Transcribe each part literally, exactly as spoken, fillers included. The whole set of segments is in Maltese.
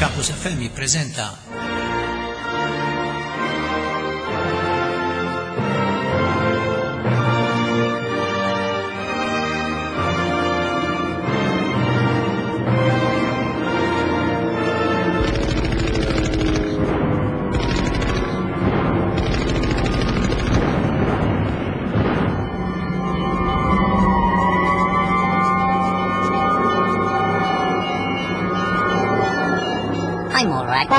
Campus F M jippreżenta I'm all right.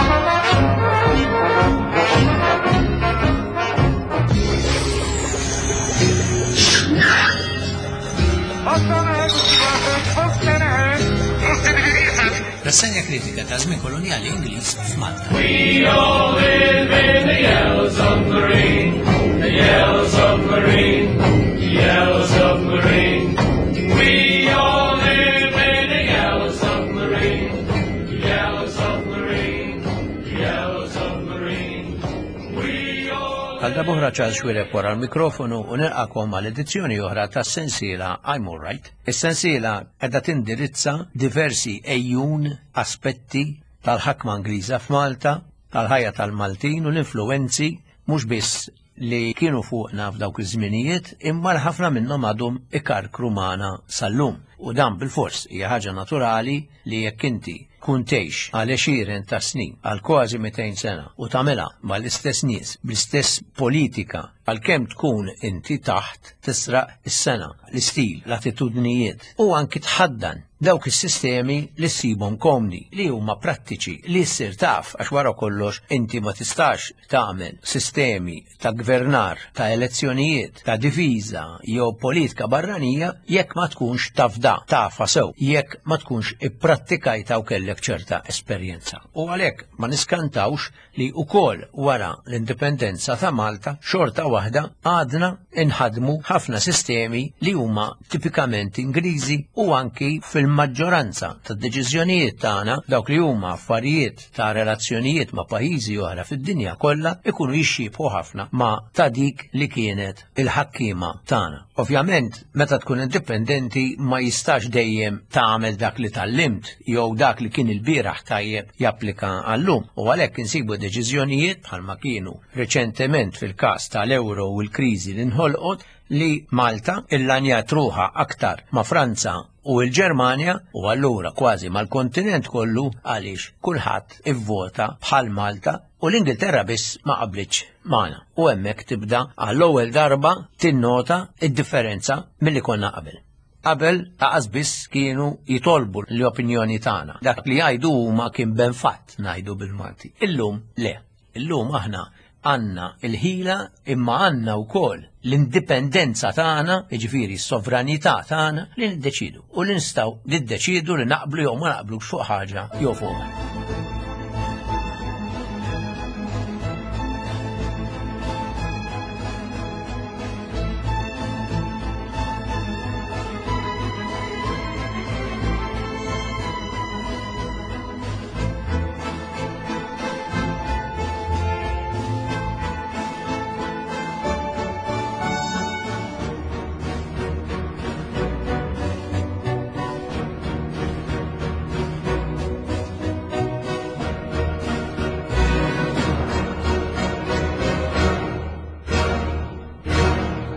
Rassegna kritika ta' żmien koloniali Ingliż f'Malta. We all live in the yellow submarine, the yellow submarine, the yellow submarine. We all live in the yellow submarine, the yellow submarine, the yellow submarine. We all Għal darb'oħra Charles Xuereb wara l-mikrofonu u nilqakom għal edizzjoni oħra tas-sensiela I'm All Right. Is-sensiela qiegħda tindirizza diversi ejjun aspetti tal-ħakma Ingliża f'Malta, tal-ħajja tal-Maltin u l-influwenzi mhux biss li kienu fuqna f'dawk iż-żminijiet, imma l-ħafna minnhom għadhom ikarkru magħna sal-lum. U dan bil-fors hija ħaġa naturali li jekk inti tkun tgħix għal għexieren ta' snin, għal kważi mitejn sena, u tagħmilha mal-istess nies, bl-istess politika, għalkemm tkun inti taħt tisraq is-sena, l-istil, l-attitudnijiet, u anki tħaddan dawk is-sistemi li ssibhom komdi, li huma prattiċi, li ssir taf, għax wara kollox inti ma tistax tagħmel sistemi ta' gvernar, ta' elezzjonijiet, ta' difiża jew politika barranija jekk ma tkunx tafda, tafa sew, jekk ma tkunx ipprattikajta u kellek ċerta esperjenza. U għalhekk ma niskantawx li wkoll wara l-indipendenza ta' Malta xorta waħda għadna inħadmu ħafna sistemi li huma tipikament Ingliżi u anki fil-maġġoranza tad-deċiżjonijiet tagħna dawk li huma affarijiet ta' relazzjonijiet ma' pajjiżi oħra fid-dinja kollha ikunu jixxiebħu ħafna ma' ta' dik li kienet il-ħakkiema tagħna. Ovvjament, meta tkun indipendenti ma jistax dejjem tagħmel dak li tallimt jew dak li kien il-bieraħ tajjeb japplika għallum. U għalhekk insibu deċiżjonijiet bħalma kienu reċentement fil-każ tal-euro u l-kriżi li nħolqot li Malta illanjat ruħha aktar ma' Franza u l-Ġermanja u allura kważi mal-kontinent kollu għaliex kulħadd ivvota bħal Malta u l-Ingilterra biss ma qablitx magħna. U hemmhekk tibda għall-ewwel darba tinnota id-differenza milli konna qabel. Qabel aqas biss kienu jitolbu l-opinjoni tagħna. Dak li jgħidu huma kien ben fatt ngħidu bil-Malti. Illum le. Illum aħna għandna il-ħila imma għandna wkoll l-indipendenza tagħna, jiġifieri s-sovranità tagħna li niddeċidu u li nistgħu niddeċidu li naqblu jew ma naqblux fuq ħaġa jew fuq oħra.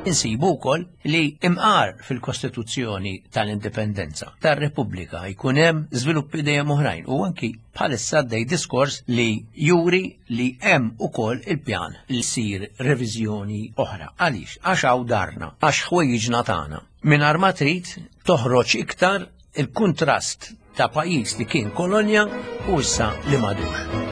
Insibu wkoll li imqar fil-Kostituzzjoni tal-Indipendenza tar-Repubblika jkun hemm żviluppi dejjem oħrajn u anki bħalissa għaddej diskors li juri li hemm ukoll il-pjan li jsir reviżjoni oħra. Għaliex? Għax hawn darna, għax ħwejjiġna tagħna. Mingħajr ma trid toħroġ iktar il-kuntrast ta' pajjiż li kien kolonja u issa li m'għadux.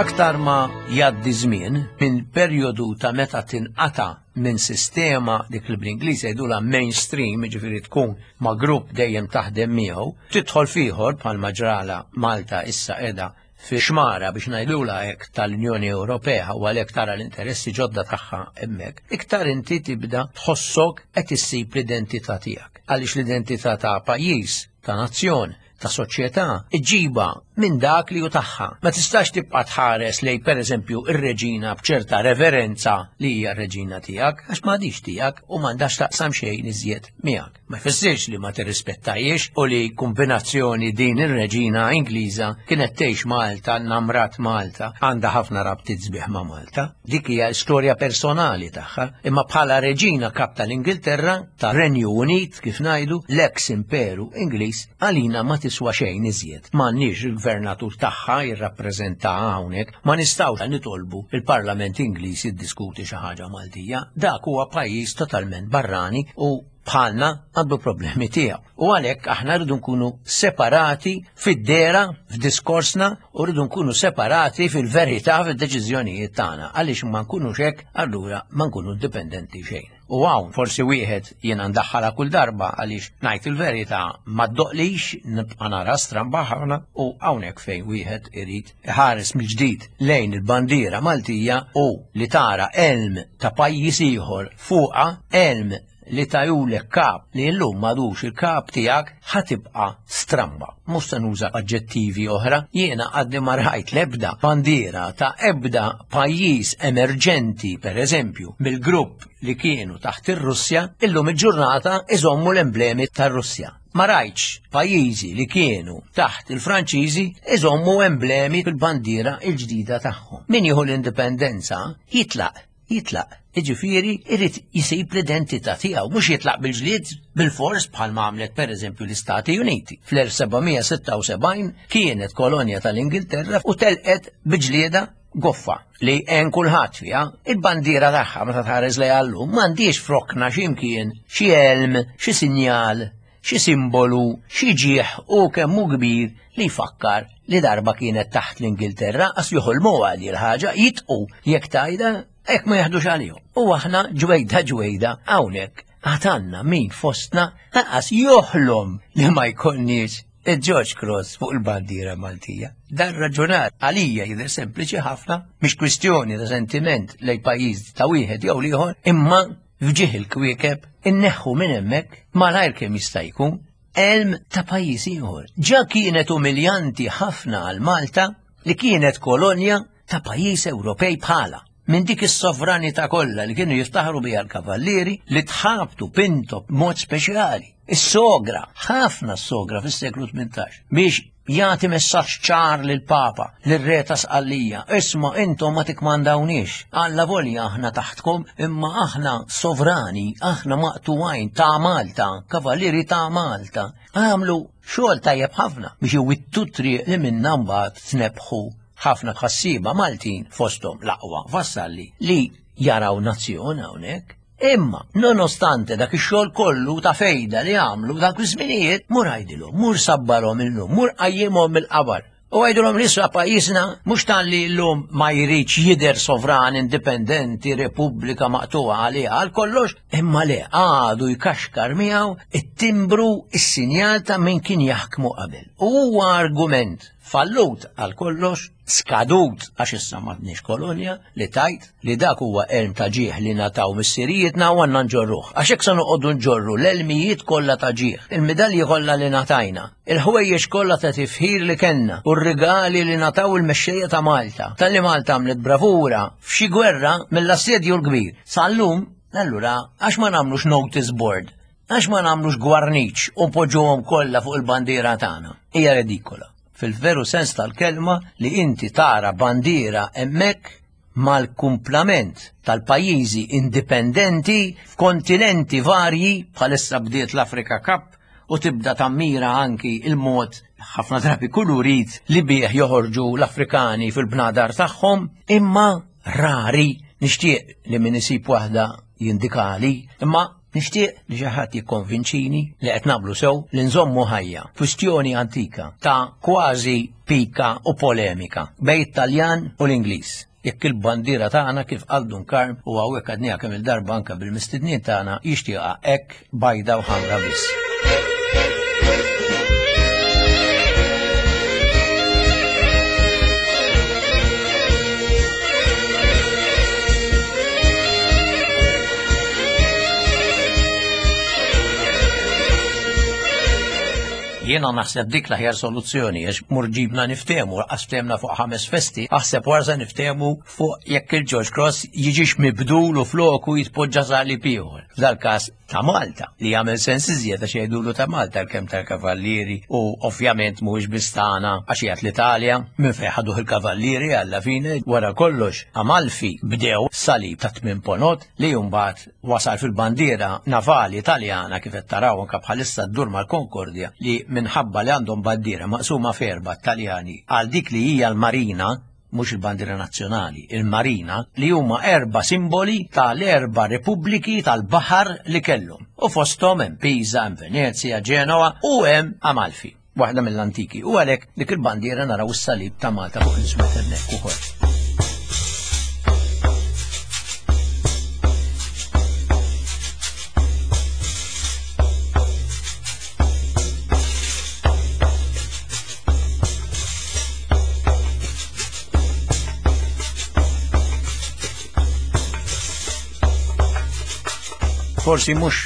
Aktar ma jgħaddi żmien minn perjodu ta' meta tinqata' minn sistema dik li bl-Ingliż jgħidulha mainstream, jiġifieri tkun ma' grupp dejjem taħdem miegħu, tidħol f'ieħor bħalma ġrala Malta issa qiegħda fi xmara biex ngħidulha hekk tal-Unjoni Ewropea u għalhekk tara l-interessi ġodda tagħha hemmhekk, iktar inti tibda tħossok qed issib l-identità tiegħek. Għaliex l-identità ta' pajjiż, ta' nazzjon, ta' soċjetà iġġibha minn dak li hu tagħha. Ma tistax tibqa' tħares lej pereżempju ir-reġina b'ċerta reverenza li hija r-reġina tiegħek għax m'għadix tiegħek u m'għandax taqsam xejn iżjed miegħek. Ma jfissirx li ma tirrispettajiex u li kombinazzjoni din ir-reġina Ingliża kienet tgħix Malta, namrat Malta, għandha ħafna rabtiet sbieħ ma' Malta. Dik hija storja personali tagħha, imma bħala reġina kap tal-Ingilterra, tar-Renju Unit kif ngħidu, l-ex imperu Ingliż għalina ma tiswa xejn iżjed. M'għandniex il-gvernatur tagħha jirrappreżenta hawnhekk, ma nistgħux nitolbu il-Parlament Ingliż jiddiskuti xi ħaġa Maltija. Dak huwa pajjiż totalment barrani u bħalna għandu problemi tiegħu. U għalhekk aħna rridu nkunu separati fid-dera, f'diskorsna, u rridu nkunu separati fil-verità fid-deċiżjonijiet tagħna. Għaliex ma nkunux hekk, allura ma nkunu indipendenti xejn. U hawn forsi wieħed jiena ndaħħalha kull darba għaliex ngħid il-verità ma ddoqlix nibqa' nara stramba ħafna u hawnhekk fejn wieħed irid iħares mill-ġdid lejn il-bandiera Maltija u li tara elm ta' pajjiż ieħor fuqha, elm li tajulek kap li llum m'għadux il-kap tiegħek, ħatibqa' stramba. Mhux se nuża aġġettivi oħra, jiena għadni ma rajt l-ebda bandiera ta' ebda pajjiż emerġenti, pereżempju, mill-grupp li kienu taħt ir-Russja, illum il-ġurnata iżommu l-emblemi tar-Russja. Ma rajtx pajjiżi li kienu taħt il-Franċiżi iżommu emblemi fil-bandiera il-ġdida tagħhom. Min jieħu l-indipendenza jitlaq, jitlaq. Jiġifieri irid jisib l-identità tiegħu, mhux jitlaq bil-ġlied bil-fors bħalma għamlet pereżempju l-Istati Uniti. Fl-elf sebgħamija sitta u sebgħin kienet kolonja tal-Ingilterra u telqet biġlieda goffa li hemm kulħadd fiha. Il-bandiera tagħha meta tħares lejha llum m'għandix frokna x'imkien, xi elm, xi sinjal, xi simbolu, xi ġieħ u kemm hu kbir li jfakkar li darba kienet taħt l-Ingilterra, qas joħolmu għal il-ħaġa, jitqu jekk tajda hekk ma jaħdux għalihom. U aħna ġwejda ġwejda hawnhekk għatanna min fostna lanqas joħlom li ma jkollniex il-George Cross fuq il-bandiera Maltija. Dan raġunar għalija jidher sempliċi ħafna, mhix kwistjoni ta' sentiment lejn pajjiż ta' wieħed jew l-ieħor, imma fġieħ il-kwiekeb inneħħu minn hemmhekk malajr kemm jista' jkun elm ta' pajjiż ieħor. Ġa kienet umiljanti ħafna għal Malta li kienet kolonja ta' pajjiż Ewropej bħala. Minn dik is-sovranità kollha li kienu jiftaħru biha l-kavallieri li tħabtu pinto b'mod speċjali. Is-sogra, ħafna s-sogra fis-seklu tmintax, biex jagħti messaġġ ċar lill-Papa, lir-Re ta' Sqallija, isma' intom ma tikmandawniex, alla volja aħna taħtkom, imma aħna sovrani, aħna maqtuwajn ta' Malta, kavallieri ta' Malta. Għamlu xogħol tajjeb ħafna biex iwittu triq li minnha mbagħad tnebħu ħafna tħassiba Maltin fosthom l-aqwa vassalli li jaraw nazzjon hawnhekk. Imma, nonostante dak ix-xogħol kollu ta' fejda li għamlu dak iż-żminijiet, mur għajdilhom, mur sabbarhom illum, mur qajjimhom mill-qabar. U għajdilhom li issa pajjiżna mhux talli llum ma jridx jidher sovran indipendenti, repubblika maqtuha għaliha għal kollox, imma le għadu jkaxkar miegħu it-timbru, is-sinjal ta' min kien jaħkmu qabel. U huwa argument fallut għal kollox, skadut għax issa m'għandniex kolonja, li tajt li dak huwa elm ta' ġieħ li nataw missirijietna u għandna nġorruh. Għax hekk se noqogħdu nġorru l-elmijiet kollha ta' ġieħ, il-midalji kollha li natajna, il-ħwejjeġ kollha ta' tifħir li kellna u r-rigali li nataw il-mexxejja ta' Malta. Talli Malta għamlet bravura f'xi gwerra mill-assedju l-kbir. Sal-lum, allura, għax ma nagħmlux notice board, għax ma nagħmlux gwarniċ u npoġġuhom kollha fuq il-bandiera tagħna. Hija redikola. Fil-veru sens tal-kelma li inti tara bandiera hemmhekk mal-kumplament tal-pajjiżi indipendenti f'kontinenti varji, bħalissa bdiet l-Afrika Cup u tibda tammira anki il-mod ħafna drabi kulurit li bih joħorġu l-Afrikani fil-bnadar tagħhom, imma rari nixtieq li min isib waħda jindikali, imma nixtieq li xi ħadd jikkonvinċini li qed nagħmlu sew li nżommu ħajja kwistjoni antika ta' kważi pika u polemika bejn it-Taljan u l-Ingliż. Jekk il-bandiera tagħna kif qal Dun Karm u hawnhekk għadniha kemm il-darba anke bil-mistednin tagħna jixtieqha hekk bajda u ħamra biss. Jiena naħseb dik l-aħjar soluzzjoni għax mur ġibna niftehmu, għax ftehmna fuq ħames festi, aħseb warsa niftehmu fuq jekk il-George Cross jiġix mibdul u floku jitpoġġa salib ieħor. F'dal-każ ta' Malta, li jagħmel sens iżjed għax jgħidulu ta' Malta l-kemm tal-Kavallieri u ovvjament mhuwiex biss tagħna għax jgħid l-Italja minn fejn ħaduh il-Kavallieri alla fine wara kollox Amalfi bdew salib ta' tmien ponot li mbagħad wasal fil-bandiera navali Italjana kif qed taraw anke bħalissa ddur mal-Konkordja li minħabba li għandhom bandiera maqsuma f'erba' Taljani għal dik li hija l-Marina, mhux il-bandiera nazzjonali, il-Marina, li huma erba' simboli tal-erba' repubbliki tal-baħar li kellhom. U fosthom hemm Pisa, hemm Venezia, Genoa u hemm Amalfi, waħda mill-antiki. U għalhekk dik il-bandiera naraw is-salib ta' Malta fuq l-iswed hemmhekk ukoll. Forsi mhux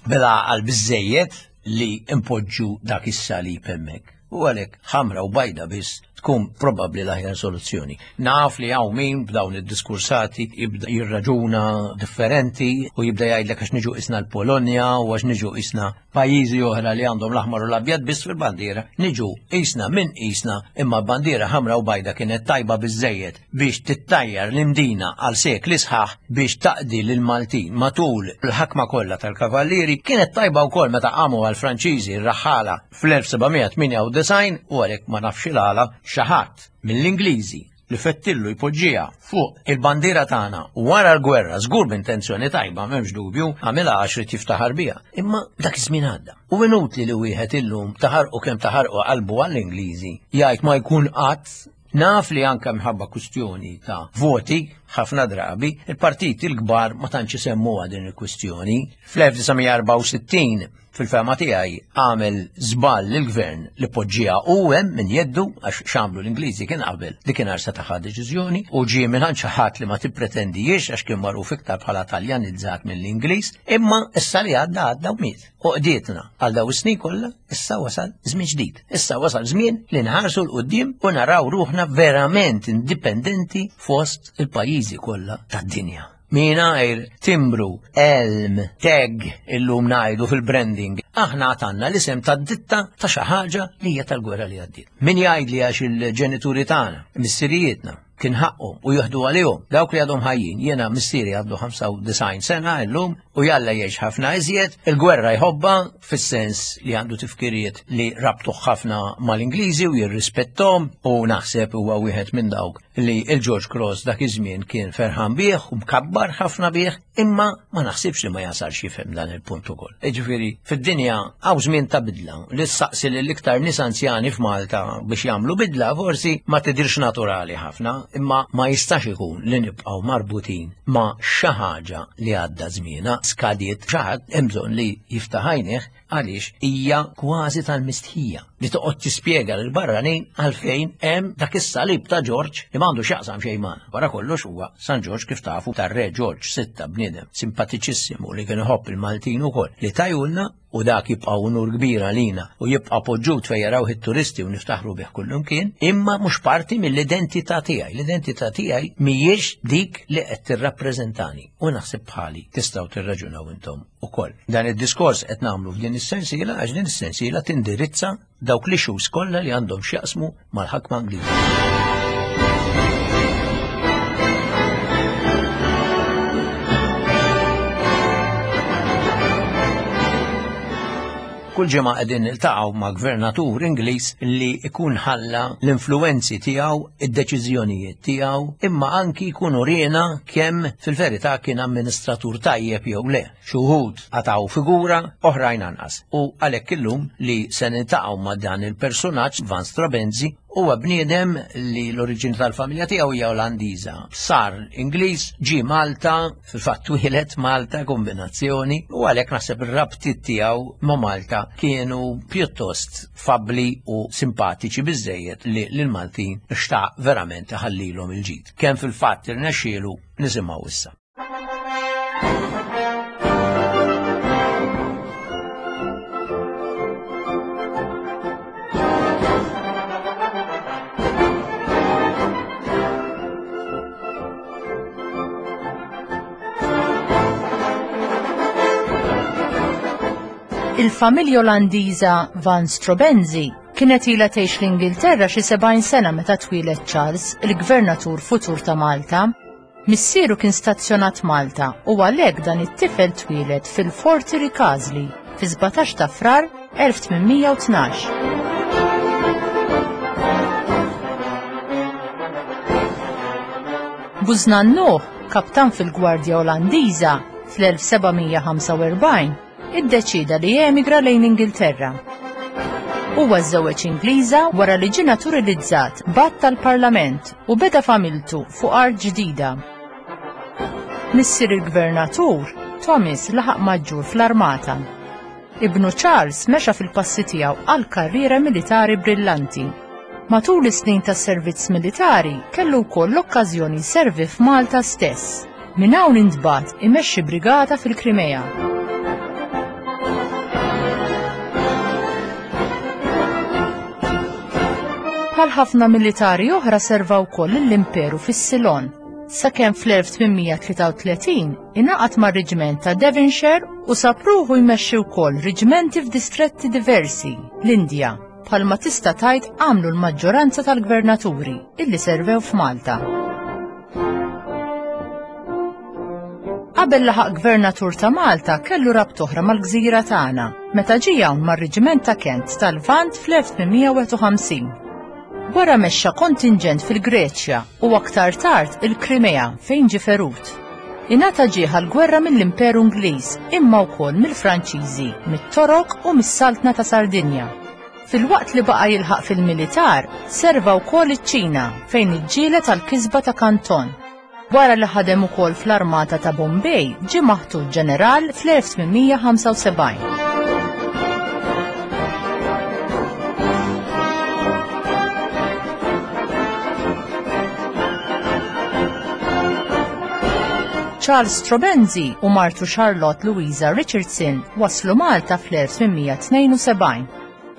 bil-għaqal biżżejjed li impoġġu dak is-salib hemmhekk. U għalhekk ħamra u bajda biss tkun probabbli l-aħjar soluzzjoni. Naf li hawn min b'dawn id-diskursati jibda jirraġuna differenti u jibda jgħidlek għax niġu isna l-Polonja u għax niġu isna pajjiżi oħra li għandhom l-aħmar u l-abjad biss fil-bandiera. Niġu isna minn isna imma bandiera ħamra u bajda kienet tajba biżżejjed biex tittajjar l-Imdina għal sekli sħaħ biex taqdi lil Maltin matul il-ħakma kollha tal-Kavallieri, kienet tajba wkoll meta qamu għall-Franċiżi r-raħħala fl-elf seba' mija tmienja u disgħin u għalhekk ma nafx il-għala xi ħadd mill-Ingliżi li fettillu jpoġġiha fuq il-bandiera tagħna wara l-gwerra, żgur b'intenzjoni tajba, m'hemmx dubju, għamilha għax irid jiftaħar biha. Imma dak iż-żmien għadda. U inutli li wieħed illum taħarqu kemm taħarqu qalbu għall-Ingliżi jgħid ma jkun qatt. Naf li anke minħabba kwistjoni ta' voti, ħafna drabi, il-partiti l-kbar ma tantx isemmuha din il-kwistjoni. Fl-elf disa' mija erbgħa u sittin, fil-fehma tiegħi, għamel żball lill-gvern li poġġiha u hemm minn jeddu għax x'għamlu l-Ingliżi kien qabel li kien arsa taħa deċiżjoni u ġie minn xi ħadd li ma tippretendijiex għax kien magħruf iktar bħala Taljanizzat mill-Ingliż, imma issa li għadda għadda u miet. U qdietna għal daw is-snin kollha, issa wasal żmien ġdid. Issa wasal żmien li nħarsu 'l quddiem u naraw ruħna verament indipendenti fost il-pajjiżi kollha tad-dinja. Mingħajr timbru, elm, tag illum ngħidu fil-branding, aħna għatanna l-isem tad-ditta ta' xi ħaġa li hija tal-gwerra li għaddiet. Min jgħid li għax il-ġenituri tagħna, missirijietna, kien ħaqqhom u jieħdu għalihom dawk li għadhom ħajjin. Jiena missieri għandu ħamsa u disgħin sena illum u jalla jgħix ħafna iżjed, il-gwerra jħobbha fis-sens li għandu tifkiriet li rabtuh ħafna mal-Ingliżi u jirrispettom, u naħseb huwa wieħed minn dawk li il-George Cross dak iż-żmien kien ferħan bih u mkabbar ħafna bih, imma ma naħsibx li ma jasalx jifhem dan il-punt ukoll. Jiġifieri fid-dinja hawn żmien ta' bidla li ssaqsi lil iktar nies anzjani f'Malta biex jagħmlu bidla forsi ma tidirx naturali ħafna, imma ma jistax ikun li nibqgħu marbutin ma' xi ħaġa li għadda żmienha, skadiet, xi ħadd hemm bżonn li jiftaħ għajnejh għaliex hija kważi tal-mistħija li toqgħod tispjega lil barranin għalfejn hemm dak is-salib ta' George li m'għandu x'jaqsam xejn magħna. Wara kollox huwa San George kif tafu tar-Re George sitta, bniedem simpatiċissimu li kien iħobb il-Maltin ukoll li tajulna, u dak jibqa' unur kbir għalina u jibqa' poġġut fejn jaraw it-turisti u niftaħru bih kullum kien, imma mhux parti mill-identità tiegħi. L-identità tiegħi mhijiex dik li qed tirrappreżentani u naħseb bħali tistgħu tirraġunaw intom ukoll. Dan id-diskors qed nagħmlu f'din is-sensiela għax din is-sensiela tindirizza dawk l-issues kollha li għandhom x'jaqsmu mal-ħakma Ingliża. Kull ġimgħa qegħdin niltaqgħu ma' gvernatur Ingliż li jkun ħalla l-influenzi tiegħu, id-deċiżjonijiet tiegħu, imma anki jkun uriena kemm fil-verità kien amministratur tajjeb jew le. Xi wħud qatgħu figura, oħrajn anqas. U għalhekk illum li se niltaqgħu ma' dan il-personaġġ Van Straubenzee, huwa bniedem li l-oriġini tal-familja tiegħu hija Olandiża. Sar Ingliż, ġie Malta, fil-fatt twieled Malta, kombinazzjoni, u għalhekk naħseb ir-rabtiet tiegħu ma' Malta kienu pjuttost fabbli u simpatiċi biżżejjed li lill-Maltin xtaq verament iħallilhom il-ġid. Kemm fil-fatt irnexxielu nisimgħu issa. Il-familja Olandiża Van Straubenzee kienet ilha tgħix l-Ingilterra xi sebgħin sena meta twieled Charles, il-gvernatur futur ta' Malta. Missieru kien stazzjonat Malta u għalhekk dan it-tifel twieled fil-Forti Ricasoli fi sbatax ta' Frar elf tmien mija u tnax. Bużnannuh, kaptan fil-Gwardja Olandiża fl-elf seba' mija ħamsa u erbgħin, iddeċieda li jemigra lejn Ingilterra. Huwa żżewweġ Ingliża wara li ġie naturalizzat b'att tal-Parlament u beda familtu fuq art ġdida. Missier il-gvernatur, Thomas, laħaq maġġur fl-armata. Ibnu Charles mexa fil-passi tiegħu għal karriera militari brillanti. Matul is-snin tas-servizz militari kellu wkoll l-okkażjoni jservi f'Malta stess. Minn hawn intbagħat imexxi brigata fil-Krimea. Bħal ħafna militari oħra serva wkoll lill-Imperu fis-Silon, sakemm fl-elf tmien mija tlieta u tletin ingħaqad mar-reġiment ta' Devonshire u sab ruħu jmexxi wkoll reġimenti f'distretti diversi, l-Indja, bħalma tista' tgħid għamlu l-maġġoranza tal-gvernaturi illi servew f'Malta. Qabel laħaq gvernatur ta' Malta kellu rabta oħra mal-gżira tagħna, meta ġie hawn mar-reġiment ta' Kent tal-Lvant fl-elf tmien mija wieħed u ħamsin. Wara mexxa kontinġent fil-Greċja u aktar tard il-Krimea fejn ġie ferut. Ingħata ġieħ għall-gwerra mill-Imperu Ingliż imma wkoll mill-Franċiżi, mit-Torok u mis-Saltna ta' Sardinja. Filwaqt li baqa' jilħaq fil-militar, serva wkoll iċ-Ċina fejn iġġieled għall-kisba ta' Kanton. Wara li ħadem ukoll fl-armata ta' Bombay, ġie maħtur ġeneral fl-elf tmien mija ħamsa u sebgħin. Charles Straubenzee u martu Charlotte Louisa Richardson waslu Malta fl-elf tmien mija tnejn u sebgħin.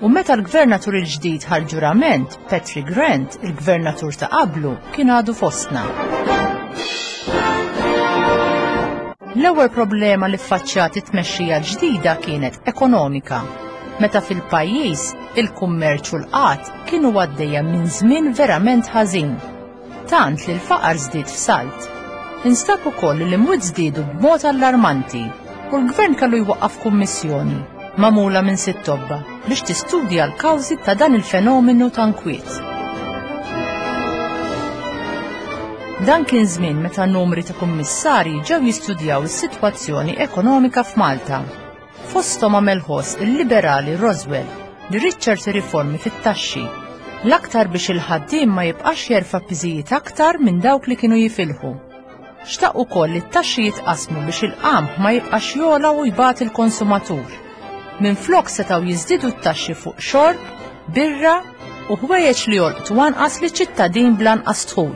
U meta l-gvernatur il-ġdid ħa l-ġurament, Patrick Grant, il-gvernatur ta' qablu, kien għadu fostna. L-ewwel problema li ffaċċjat it-tmexxija l-ġdida kienet ekonomika, meta fil-pajjiż il-kummerċ u l-qgħad kienu għaddejja minn żmien verament ħażin, tant li l-faqar żdied f'salt. Instab ukoll li l-imwiet żdiedu b'mod allarmanti u l-gvern kellu jwaqqaf kummissjoni magħmula minn sitt tobba biex tistudja l-kawżi ta' dan il-fenomenu ta' nkwiet. Dan kien żmien meta numri ta' kummissarji ġew jistudjaw is-sitwazzjoni ekonomika f'Malta. Fosthom għamel ħoss il-liberali Roswell li ried ċerti riformi fit-taxxi, l-aktar biex il-ħaddiem ma jibqax jerfa' piżijiet aktar minn dawk li kienu jifilħu. Xtaq ukoll li t-taxxi jitqasmu biex il-qamħ ma jibqax jogħla u jbati l-konsumatur. Minflok setgħu jiżdiedu t-taxxi fuq xorb, birra u ħwejjeġ li jolqtu anqas li ċittadin bl-anqas dħul.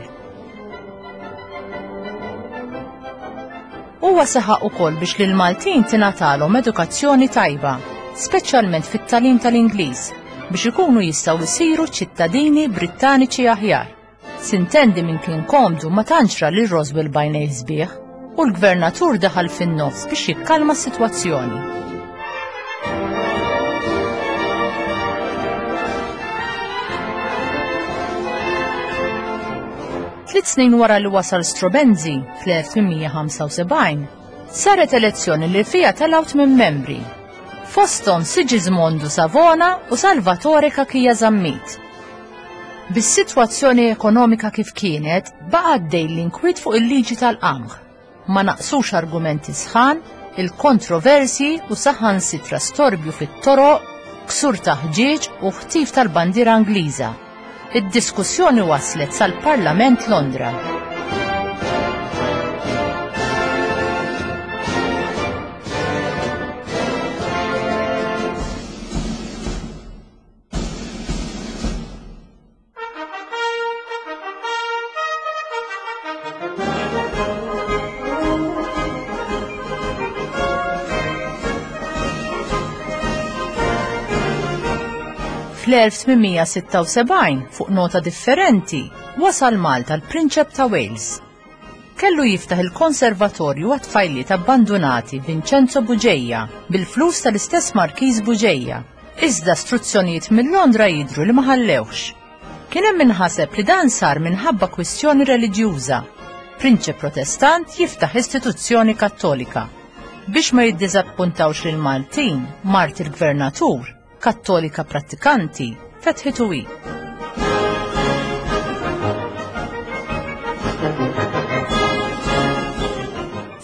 Huwa saħaq ukoll biex lil Maltin tingħatalhom edukazzjoni tajba, speċjalment fit-tagħlim tal-Ingliż, biex ikunu jistgħu jsiru ċittadini Brittaniċi aħjar. Sintendi minn kien komdu ma tantx ra lil Roswell b'għajnejh sbieħ u l-gvernatur daħal fin-nofs biex jikkalma s-sitwazzjoni. Tliet snin wara li wasal Straubenzee fl-elf tmien mija ħamsa u sebgħin, saret elezzjoni li fiha telgħu tmien membri. Fosthom Sigismondo Savona u Salvatore Cachia Zammit. Bis-sitwazzjoni ekonomika kif kienet, baqa' għaddej l-inkwiet fuq il-liġi tal-qamħ. Ma naqsux argumenti sħan, il-kontroversji u saħansitra storbju fit-toroq, ksur ta' ħġieġ u ħtif tal-bandiera Ingliża. Id-diskussjoni waslet sal-Parlament Londra. Fl-elf tmien mija sitta u sebgħin, fuq nota differenti, wasal Malta l-Prinċep ta' Wales. kellu jiftaħ il-konservatorju għat-tfajliet abbandunati Vincenzo Bugeja bil-flus tal-istess Markiż Bugeja. Iżda struzzjonijiet minn Londra jidhru li ma ħallewx. Kien hemm min ħaseb li dan sar minħabba kwistjoni reliġjuża. Prinċep Protestant jiftaħ istituzzjoni Kattolika. Biex ma jiddiżappuntawx lil Maltin, mart il-gvernatur, Kattolika prattikanti, fetħitu hi.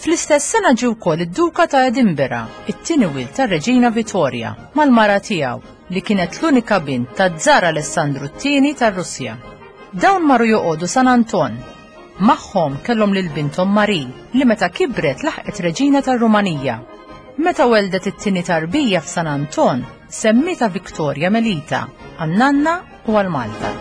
Fl-istess sena ġie wkoll id-Duka ta' Edinburgh, it-tieni wild tar-Reġina Vittoria, mal-mara tiegħu li kienet l-unika bint taż-Żar Alessandru t-tieni tar-Russja. Dawn marru joqogħdu San Anton. Magħhom kellhom lil binthom Marie li meta kibret laħqet Reġina tar-Rumanija. Meta weldet it-tieni tarbija f'San Anton, semmietha Victoria Melita, għan-nanna u għal Malta.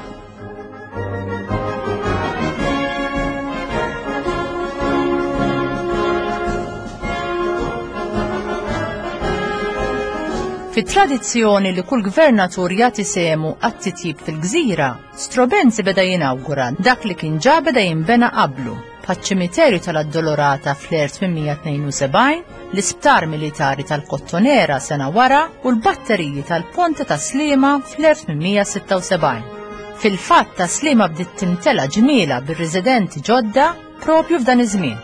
Fit-tradizzjoni li kull gvernatur jagħti sehmu għat-titjib fil-gżira, Straubenzie beda jinawgura dak li kien ġa beda jinbena qablu, bħaċ-ċimiterju tal-Addolorata fl-elf tmien mija tnejn u sebgħin, l-isptar militari tal-Kottonera sena wara u l-batteriji tal-Ponte ta' Sliema fl-elf tmien mija sitta u sebgħin. Fil-fatt ta' Sliema bdiet timtela ġmiela bir-residenti ġodda propju f'dan iż-żmien.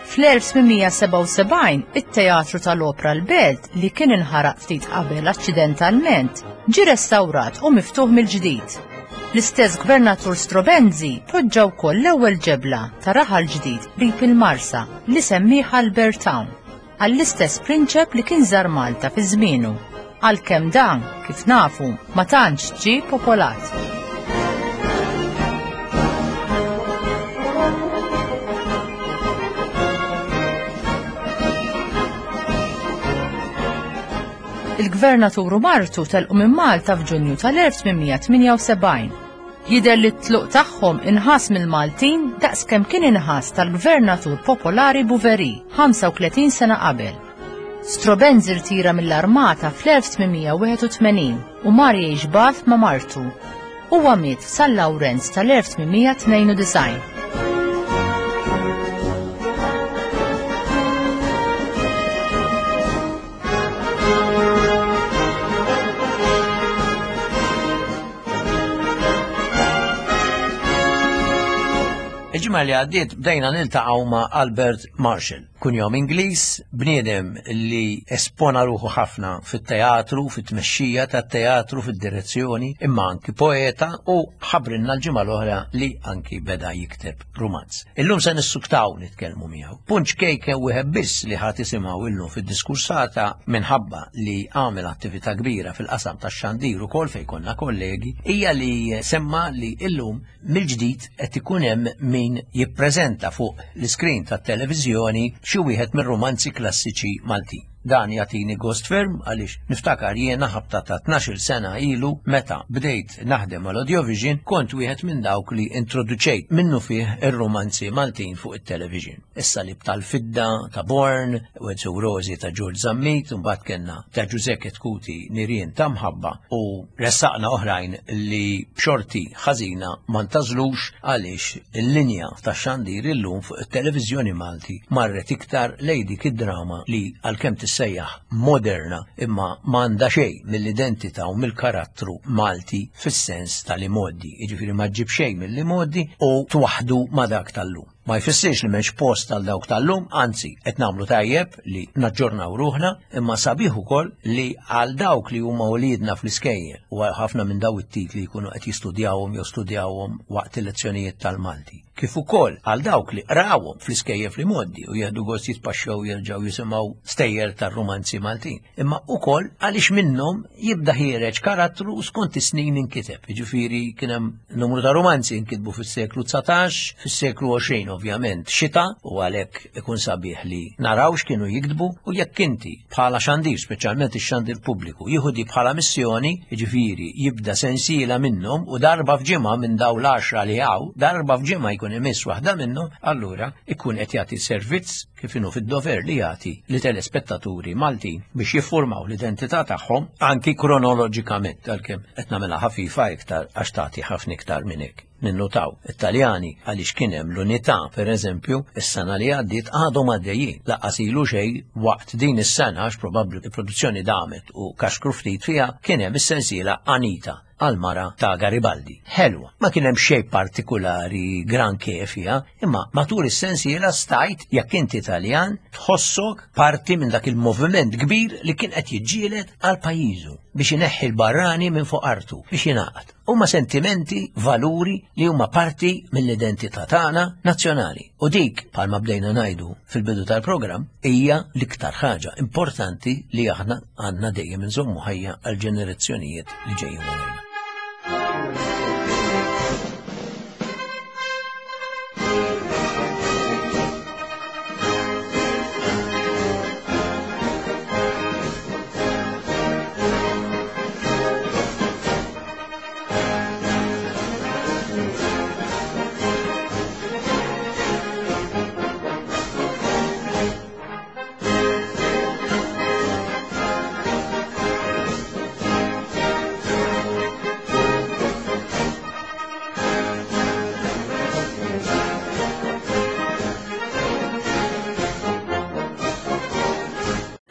Fl-elf tmien mija sebgħa u sebgħin, it-teatru tal-Opra l-Belt li kien inħaraq ftit qabel aċċidentalment ġie restawrat u miftuħ mill-ġdid. L-istess gvernatur Straubenzie poġġa wkoll l-ewwel ġebla ta' raħal ġdid qrib il-Marsa li semmih Albert Town, għall-istess prinċep li kien żar Malta fi żmienu, għalkemm dan, kif nafu, ma tantx ġie popolat. Il-gvernatur u martu telqu minn Malta f'Ġunju tal-elf tmien mija tmienja u sebgħin. Jidher li t-tluq tagħhom inħass mill-Maltin daqskemm kien inħass tal-gvernatur popolari Bouverie ħamsa u tletin sena qabel. Straubenzie rtira mill-armata fl-elf tmien mija wieħed u tmenin u mar jgħix Bath ma' martu. Huwa miet f'San Lawrenz tal-elf tmien mija tnejn u disgħin. Il-ġimgħa li għaddiet bdejna niltaqgħu ma' Albert Marshall, kunjom Ingliż, bniedem li espona ruħu ħafna fit-teatru, fit-tmexxija tat-teatru, fid-direzzjoni, imma anki poeta u ħabrinna l-ġimgħa l-oħra li anki beda jikteb rumanz. Illum se nissuktaw nitkellmu miegħu. Punt ċkejken wieħed biss li ħadd isimgħu illum fid-diskursata minħabba li għamel attività kbira fil-qasam tax-xandir ukoll fejn konna kollegi, hija li semma li illum mill-ġdid qed ikun hemm min jippreżenta fuq l-iskrin tat-televiżjoni xi wieħed mir-romanzi klassiċi Maltin. Dan jagħtini gost ferm għaliex niftakar jiena ħabta ta' tnax-il sena ilu meta bdejt naħdem mal Audiovision kont wieħed minn dawk li introduċejt minnu fih ir-romanzi Maltin fuq it-television. Issa li tal-Fidda ta' Born, Wenzu Rosi ta' George Zammit, u mbagħad kellna ta' Ġużè Chetcuti Nirien ta' Mħabba u ressaqna oħrajn li b'xorti ħażina ma ntażlux għaliex il-linja tax-xandir illum fuq it-televiżjoni Malti marret iktar lejn dik id-drama li għalkemm tissejjaħ moderna imma m'għandha xejn mill-identità u mill-karattru Malti fis-sens tal-imoddi, jiġifieri ma ġġib xejn mill-imoddi u twaħdu ma' dak tal-lum. Ma jfissirx li m'hemmx post għal dawk tal-lum, anzi qed nagħmlu tajjeb li naġġornaw ruħna, imma sabiħ ukoll li għal dawk li huma wliedna fl-iskejjel u għal ħafna minn daw it-titli jkunu qed jistudjawhom jew studjawhom waqt il-lezzjonijiet tal-Malti. Kif ukoll għal dawk li qrawhom fl-iskejjel fl-imoddi u jieħdu gost jitpaxxew jerġgħu jisimgħu stejjer tar-romanzi Maltin. Imma ukoll għaliex minnhom jibda ħiereġ karattru skont is-snin inkiteb. Jiġifieri kien hemm numru ta' romanzi inkitbu fis-seklu dsatax, fis-seklu għoxrin ovvjament xita, u għalhekk ikun sabiħ li naraw x'kienu jiktbu, u jekk inti bħala xandir, speċjalment ix-xandir pubbliku, jieħu di bħala missjoni, jiġifieri jibda sensiela minnhom u darba f'ġimgħa minn dawn l-għaxra li hawn, darba f'ġimgħa jkun imiss waħda minnhom, allura ikun qed jagħti servizz kif kif inhu fid-dover li jagħti li telespettaturi Maltin biex jiffurmaw l-identità tagħhom anki kronoloġikament, għalkemm qed nagħmilha ħafifa iktar għax tagħti ħafna iktar minn hekk. Ninnutaw Italjani għaliex kien hemm l-unità, pereżempju, is-sena li għaddiet għadhom għaddejjin. Lanqas ilu xejn waqt din is-sena, għax probabbli il-produzzjoni damet u kaxkru ftit fiha, kien hemm is-sensiela Anita għal-mara ta' Garibaldi. Ħelwa, ma kien hemm xejn partikolari granché fiha, imma matul is-sensiela stajt, jekk inti Italjan, tħossok parti minn dak il-moviment kbir li kien qed jiġġieled għal pajjiżu biex ineħħi l-barrani minn fuq artu, biex jingħaqad. Huma sentimenti, valuri li huma parti mill-identità tagħna nazzjonali. U dik, bħalma bdejna ngħidu fil-bidu tal-programm, hija l-iktar ħaġa importanti li aħna għandna dejjem inżommu ħajja għal ġenerazzjonijiet li ġejjin warajna.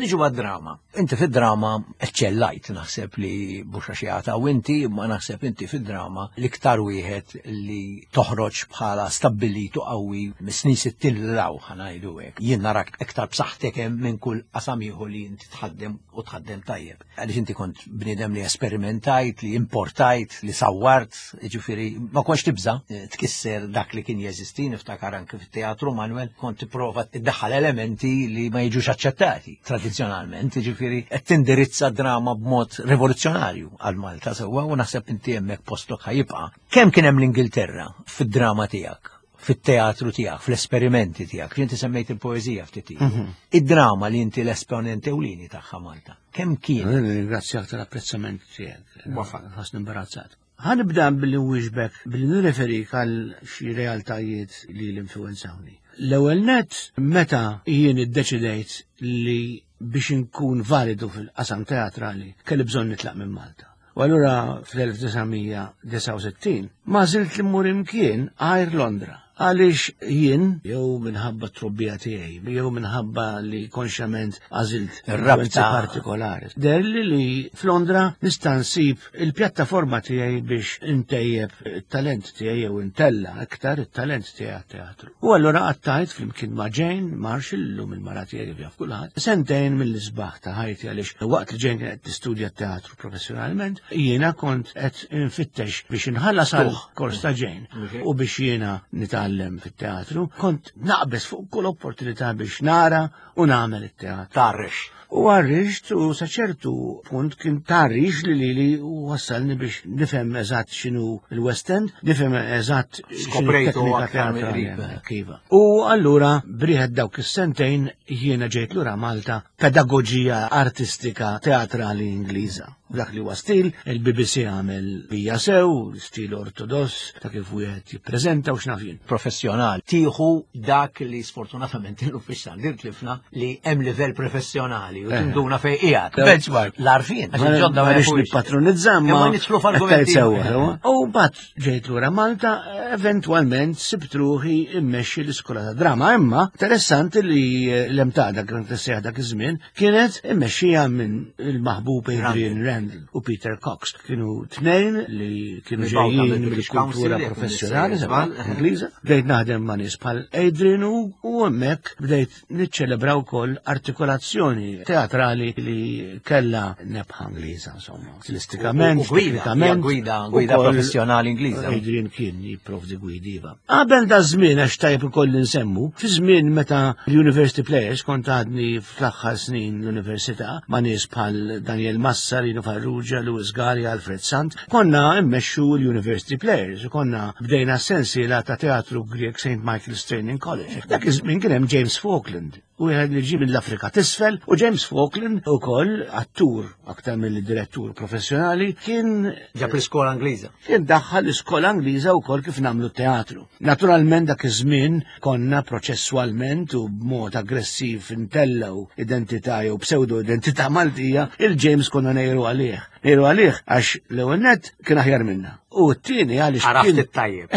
Niġu għad-drama. Inti fid-drama eċċellajt, naħseb li mhux għax jagħta u inti, ma naħseb inti fid-drama l-iktar wieħed li toħroġ bħala stabbilitu qawwi mis-snin sittin l-law, ħa ngħidu hekk. Jien narak iktar b'saħħtek hemm minn kull qasam ieħor li inti tħaddem u tħaddem tajjeb. Għaliex inti kont bniedem li esperimentajt, li importajt, li sawwart, jiġifieri ma kontx tibża tkisser dak li kien jeżisti, niftakar anke fit-teatru Manuel kont tipprova tiddaħħal elementi li ma jiġux aċċettati tradizzjonalment, jiġifieri qed tindirizza drama b'mod rivoluzzjonarju għal Malta sewwa, u naħseb inti hemmhekk postok ħajibqa'. Kemm kien hemm l-Ingilterra fid-drama tiegħek, fit-teatru tiegħek, fl-esperimenti tiegħek, inti semmejt il-poeżija ftit ilu. Mhm. Id-drama li inti l-esponent ewlieni tagħha Malta. Kemm kien? Ringrazzjak tal-apprezzament tiegħek. Ħassni imbarazzat. Ħa nibda billi nwieġbek billi nirreferik għal xi realtajiet li l-influenzawni. L-ewwel net, meta jien iddeċidejt li biex inkun validu fil-qasam teatrali kelli bżonn nitlaq minn Malta. U allura fl-elf disa' mija disa' u sittin ma żilt li mmur imkien għajr Londra. Għaliex jien, jew minħabba t-trobbija tiegħi, jew minħabba li konxjament għażilt Ir-rabta influenzi partikolari. Derli li f'Londra nista' nsib il-pjattaforma tiegħi biex intejjeb it-talent tiegħi jew intella iktar it-talent tiegħi għat-teatru. U allura qattajt flimkien ma' Jane Marshall, llum il-mara tiegħi li jaf kulħadd, sentejn mill-isbaħ ta' ħajti, għaliex waqt li Jane kienet tistudja t-teatru professjonalment, jiena kont qed infittex biex inħallas għal Tuħ. kors ta' Jane Ok. u biex jiena nitgħallem fit-teatru, kont naqbes fuq kull opportunità biex nara u nagħmel it-teatru. Tarrex. U għarrixt u sa ċertu punt kien tarrix li li li u wassalni biex nifhem eżatt x'inhu il-West End, nifhem eżatt x'inhu Skoprejtu t-teknika aktar teatrali mill-qrib. hemmhekk, iva. U allura briħed dawk is-sentejn jiena ġejt lura Malta pedagoġija artistika teatrali Ingliża. Dak li huwa stil, il-B B C għamel bija sew, stil ortodoss, ta' kif wieħed jippreżenta u x'naf jien. Professjonali. Tieħu dak li sfortunatament illum fix-xandir tlifna li hemm livell professjonali u Eh. tinduna fejn qiegħed. Eh. Benchmark. L-għarfien, għax Ma il-ġodda ma ma rridx jafux. nippatronizza, ma Imma nidħlu f'argumenti. qed sewwa, sewwa. U mbagħad ġejt lura Malta, eventwalment sibt ruħi immexxi l-iskola ta' drama, imma interessanti li l-emtada kien tissejjaħ dak iż-żmien kienet immexxija minn il-maħbub Adrian Randall u Peter Cox. Kienu tnejn li kienu Mibgħuta ġejjin mill-British mill-kultura Council, jekk professjonali, nistgħu sewwa, nżball. Ingliża. Bdejt naħdem ma' nies bħal Adrian u, u hemmhekk bdejt niċċelebra wkoll artikolazzjoni teatrali li kellha nebħa Ingliża, insomma, stilistikament, U-, u gwida, teknikament, gwida, gwida ukoll professjonali Ingliża. Adrian kien jipprovdi gwidi, iva. Qabel da żmien, għax tajjeb ukoll nsemmu, fi żmien meta l-University Players kont għadni fl-aħħar snin l-università ma' nies bħal Daniel Massa, Rino Farrugia, Louis Galea, Alfred Sant, konna immexxu l-University Players u konna bdejna sensiela ta' teatru Grek Saint Michael's Training College. Dak iż-żmien kien hemm James Falkland wieħed li ġie mill-Afrika t'isfel, u James Falkland ukoll attur aktar mill-direttur professjonali kien ġab l-iskola Ingliża. Kien daħħal l-iskola Ingliża wkoll kif nagħmlu teatru. Naturalment dak iż-żmien konna proċesswalment u b'mod aggressiv intellgħu identità jew pseudo identità Maltija, il-James konna nejru għalih. Nejru għalih għax l-ewwel nett kien aħjar minna. U t-tieni għaliex Għaraft it-tajjeb.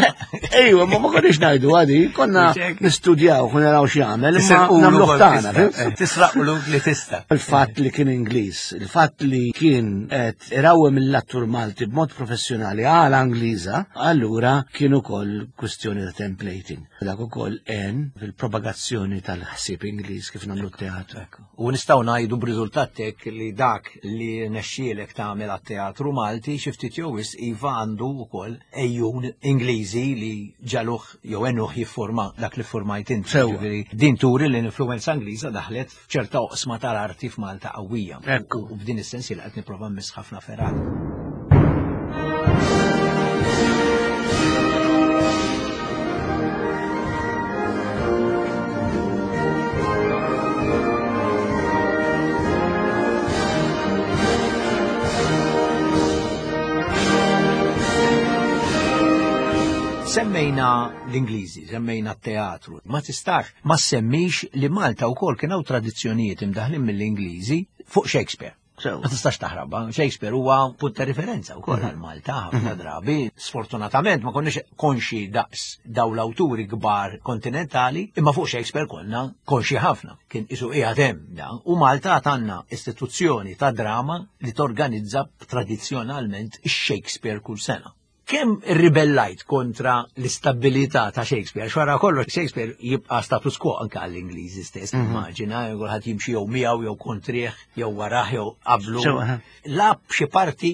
Ejwa, ma ma konniex ngħidu għadi, konna nistudjaw, konna naraw x'jagħmel, imma nagħmluh tagħna. Tisraqlu li tista'. Il-fatt li kien Ingliż, il-fatt li kien qed irawwem mill-attur Malti b'mod professjonali għal Ingliża, allura kien ukoll kwistjoni ta' templating. Dak ukoll għen fil-propagazzjoni tal-ħsieb Ingliż kif nagħmlu t-teatru. U nistgħu ngħidu b'riżultat hekk li dak li nexxielek tagħmel għat-teatru Malti xi ftit jew wisq iva għandu wkoll ejjun Ingliżi li ġaluh jew għenuh jiffurma dak li ffurmajt inti. Ġifieri din turi li l-influenza Ingliża daħlet f'ċerta oqsma tal-arti f'Malta qawwija. Ekku. U b'din is-sens li qed nipprova mmiss ħafna fergħat. Semmejna l-Ingliżi, semmejna t-teatru. Ma tistax ma semmix li Malta wkoll kien hawn tradizzjonijiet imdaħlin mill-Ingliżi fuq Shakespeare. Ma tistax taħrabha. Shakespeare huwa punt ta' referenza wkoll għal Malta ħafna drabi. Sfortunatament ma konniex konxi daqs daw l-awturi kbar kontinentali, imma fuq Shakespeare konna konxi ħafna. Kien isu qiegħed hemm da. U Malta għandna istituzzjoni ta' drama li torganizza tradizzjonalment ix-Shakespeare kull sena. Kemm irribellajt kontra l-istabilità ta' Shakespeare? Xwara kollox Shakespeare jibqa' status quo anke għall-Ingliżi stess, immaġina, kulħadd jimxi jew miegħu jew kontrih, jew warah jew qablu. Lab xi parti.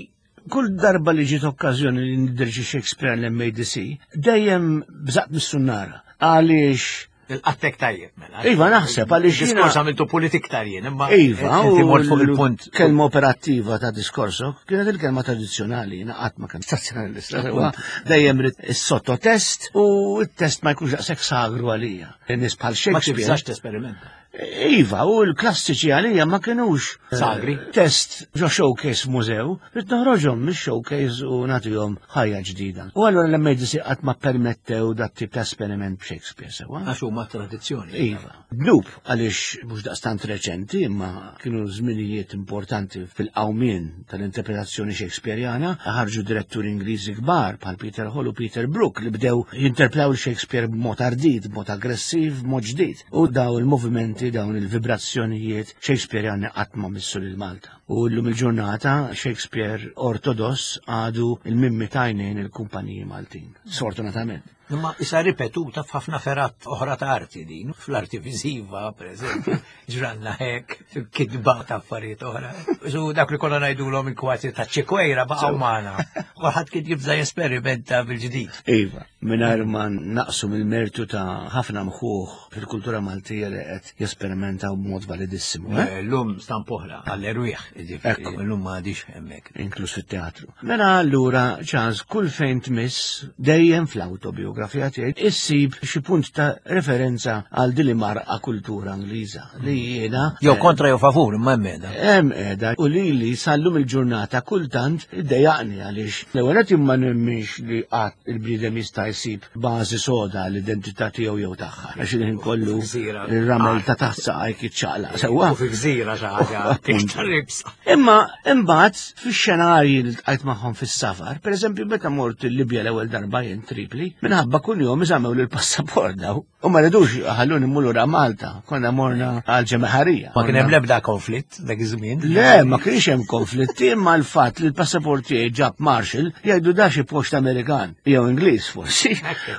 Kull darba li ġiet okkażjoni li ndirġi Shakespeare l-M A D C, dejjem bżaqt mis-sunnara. Għaliex Il-qattek tajjeb, mela. Iva, naħseb, għaliex jiena Diskors għamiltu politik tarjen, imma Iva, inti u mort fuq il-punt. Kelma operattiva ta' diskorsok kienet il-kelma tradizzjonali, jiena qatt ma kien tradizzjonalista, huwa dejjem rid is-sottotest u t-test ma jkunx daqshekk sagru għalija. Nies bħal Ma Shakespeare. tibżax tesperimenta. Iva, u l-klassiċi għalija ma kienux sagri. Test ġo showcase mużew, rrid noħroġhom mix-showcase u nagħtihom ħajja ġdida. U allura l-M A D C qatt ma permettew dat tip ta' esperiment b'Shakespeare sewa. Għax huma tradizzjoni. Iva. Dnub għaliex mhux daqstant reċenti, imma kienu żminijiet importanti fil-qawmien tal-interpretazzjoni Shakespeareana, ħarġu diretturi Ingliżi kbar bħal Peter Hall u Peter Brook li bdew jinterpretaw il-Shakespeare b'mod ardit, b'mod aggressiv, b'mod ġdid. U daw il-movimenti, dawn il-vibrazzjonijiet Shakespeareani qatt ma missu lil Malta. U llum il-ġurnata Shakespeare ortodoss għadu il-mimmi tajnejn il-kumpaniji Maltin, sfortunatament. Imma issa ripetuta f'ħafna ferat oħra ta' arti din, fl-arti viżiva, per eżempju, ġranna hekk, fil-kitba ta' affarijiet oħra. Su dak li konna ngħidulhom il-kważi ta' ċekwejra baqgħu magħna. Kulħadd kien jibża' jesperimenta bil-ġdid. Iva, mingħajr ma naqsu mill-mertu ta' ħafna mħuħ fil-kultura Maltija li qed jesperimentaw b'mod validissimu. Eh, llum stamp oħra għall-erwieħ, jiġifieri, Ekku. llum ma għadix hemmhekk. Inkluż fit-teatru. Mela allura, Charles, kull fejn tmiss dejjem fl-autobiografija tiegħi issib xi punt ta' referenza għal din li marqa kultura Ingliża li jiena Jew kontra jew favur, imma hemm qiegħda. Hemm qiegħda u li li sallum il-ġurnata kultant iddejjaqni għaliex l-ewwel qed imma nemminx li qatt il-bniedem jista' jsib bażi soda l-identità tiegħu jew tagħha. Għax il-ħin kollu Gżira. ir-ramel ta' taħt saqajk jiċċaqlaq. Sewwa. U fi gżira xi ħaġa iktar ibsa. Imma imbagħad fix-xenarji li ltqajt magħhom fis-safar, pereżempju meta mort il-Libja l-ewwel darba jien Tripli, minħabba kuljum iżammew lil passaport daw. U ma ridux ħalluni mmur lura Malta, konna morna għal ġemeħarija. Ma kien hemm l-ebda konflitt dak iż-żmien? Le, ma kienx hemm konflitti, imma l-fatt li l-passaport tiegħi ġab Marshall jgħidu da xi post Amerikan jew Ingliż forsi.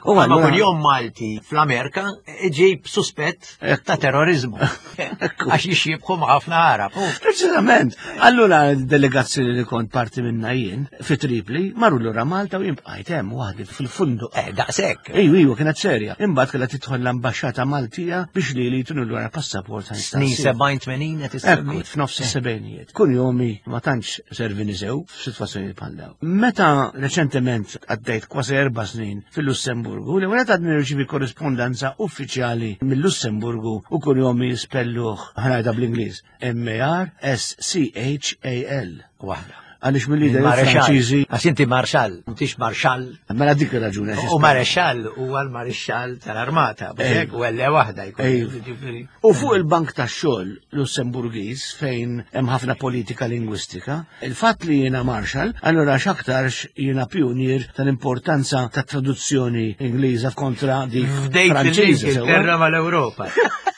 U ma kuljum Malti fl-Amerika iġib suspett ta' terrorizmu. Għax jixjibħu ma' ħafna Arab. Preċiżament. Allura l-delegazzjoni li kont parti minna jien fi Tripli marru lura Malta u jien bqajt hemm waħdi fil-funduq. Eh, daqshekk. Ejju, ejju, kienet serja. Imbagħad kellha tidħol l-ambaxxata Maltija biex li li jtunu lura passaport għal Snin stassi. sebgħin tmenin qed issemmi. Ekku, f'nofs is-sebgħinijiet. Kunjomi ma tantx servini sew f'sitwazzjoni bħal dawn. Meta reċentement għaddejt kważi erba' snin fil-Lussemburgu, li għanet għadni nirċivi korrispondenza uffiċjali mill-Lussemburgu u kunjomi jispelluh ħa ngħidha bl-Ingliż M A R S C H A L. Waħda. Għaliex mill-lider Franċiżi. Għax inti marxall, m'intix marxall. Mela dik ir-raġuni. U marexxall huwa l-marixxall tal-armata, biex u elle waħda jkun. U fuq il-bank tax-xogħol Lussemburgiż fejn hemm ħafna politika lingwistika, il-fatt li jiena marxall, allura x'aktarx jiena pionier tal-importanza tat-traduzzjoni Ingliża kontra dik Franċiża. Fdejt mal-Ewropa.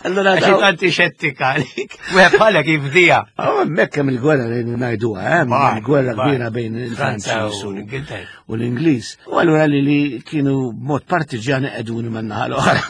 Allora għax tanti xettika għalik. Wieħed bħalek jifdija. Hemmhekk hemm il-gwerra li ngħiduha, hemm il-gwerra kbira bejn il-Franċiż u l-Ingliż. U allura li li kienu b'mod partiġjan qegħduni man-naħa l-oħra.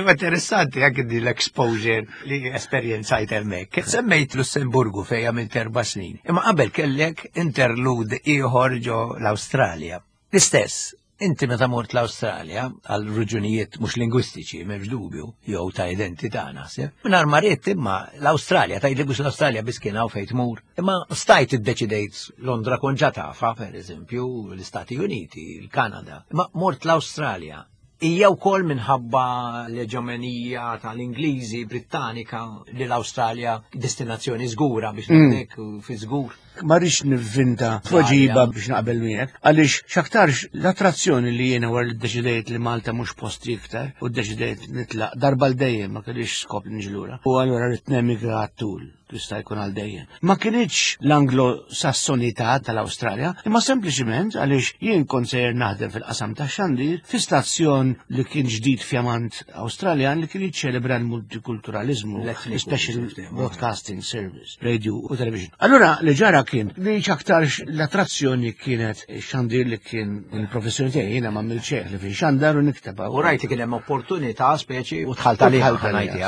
Imma interessanti anke din l-exposure li esperjenzajt hemmhekk. Semmejt Lussemburgu fejn għamilt erba' snin. Imma qabel kellek interlude ieħor ġo l-Awstralja. L-istess, inti meta mort l-Awstralja għal raġunijiet mhux lingwistiċi m'hemmx dubju, jew ta' identità naħseb. Mingħajr ma ridt imma l-Awstralja, tgħidli mhux l-Awstralja biss kien hawn fejn tmur. Imma stajt iddeċidejt Londra kont ġa tafha, pereżempju, l-Istati Uniti, il-Kanada. Imma mort l-Awstralja. Hija wkoll minħabba l-eġemonija tal-Ingliżi Brittanika li l-Awstralja destinazzjoni żgura biex ngħidlek fi żgur. Ma rridx nivvinta tweġiba biex naqbel miegħek, għaliex x'aktarx l-attrazzjoni li jiena wara li ddeċidejt li Malta mhux posti iktar u ddeċidejt nitlaq darba l dejjem ma kellix skop niġi lura. U allura rrid nemigra għat-tul, jista' jkun għal dejjem. Ma kinitx l-Anglo-Sassonità tal-Awstralja, imma sempliċiment għaliex jien kont sejjer naħdem fil-qasam tax-xandir fi stazzjon li kien ġdid fjamant Awstraljan li kien jiċċelebra l-multikulturalizmu, Special Broadcasting Service, radio u television. Allura li ġara kien li x'aktarx l-attrazzjoni kienet xandir li kien il-professjoni tiegħi, jiena ma għamilx li fi xandar u nikteb. U rajt li kien hemm opportunità speċi u dħalt għaliha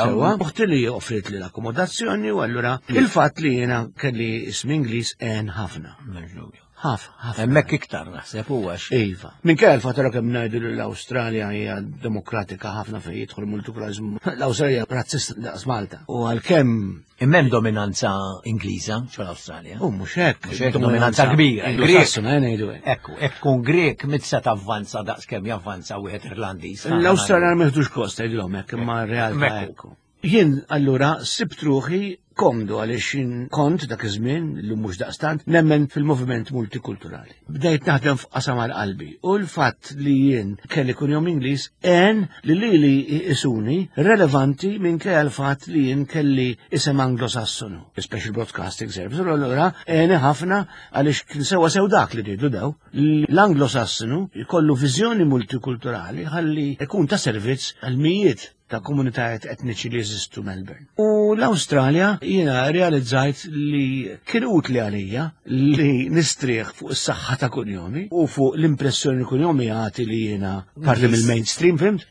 sewwa. Uħti li offrit li l-akkomodazzjoni u allura il-fatt li jiena kelli ism Ingliż għen ħafna. Ħaf, ħafna. Hemmhekk iktar naħseb huwa. Iva. Minkejja l-fatt kemm ngħidu li l-Awstralja hija demokratika ħafna fejn jidħol multikulturalizmu, l-Awstralja razzista daqs Malta. U għalkemm imma hemm dominanza Ingliża ġol-Awstralja. U mhux hekk, dominanza kbira. Grek ngħidu hekk. Ekku, hekk tkun Grek mit se tavvanza daqs kemm javvanza wieħed Irlandiż. L-Awstralja ma jieħdux kost tgħidilhom hekk, imma r-realtà hekk. Jien allura sibt ruħi komdu għaliex jien kont dak iż-żmien, illum mhux daqstant, nemmen fil-moviment multikulturali. Bdejt naħdem f'qasam għal qalbi u l-fatt li jien kelli kunjom Ingliż għen li lili isuni relevanti minkejja l-fatt li jien kelli isem Anglo-Sassonu, Special Broadcasting Service. U allura għeni ħafna għaliex kien sewwa sew dak li rridu daw. L-Anglo-Sassonu jkollu viżjoni multikulturali ħalli jkun ta' servizz għal mijiet ta' komunitajiet etniċi li jeżistu Melbourne. U l-Awstralja jiena realizzajt li kien utli għalija li nistrieħ fuq is-saħħa ta' kunjomi u fuq l-impressjoni li kunjomi jagħti li jiena parti mill-mainstream, fimt?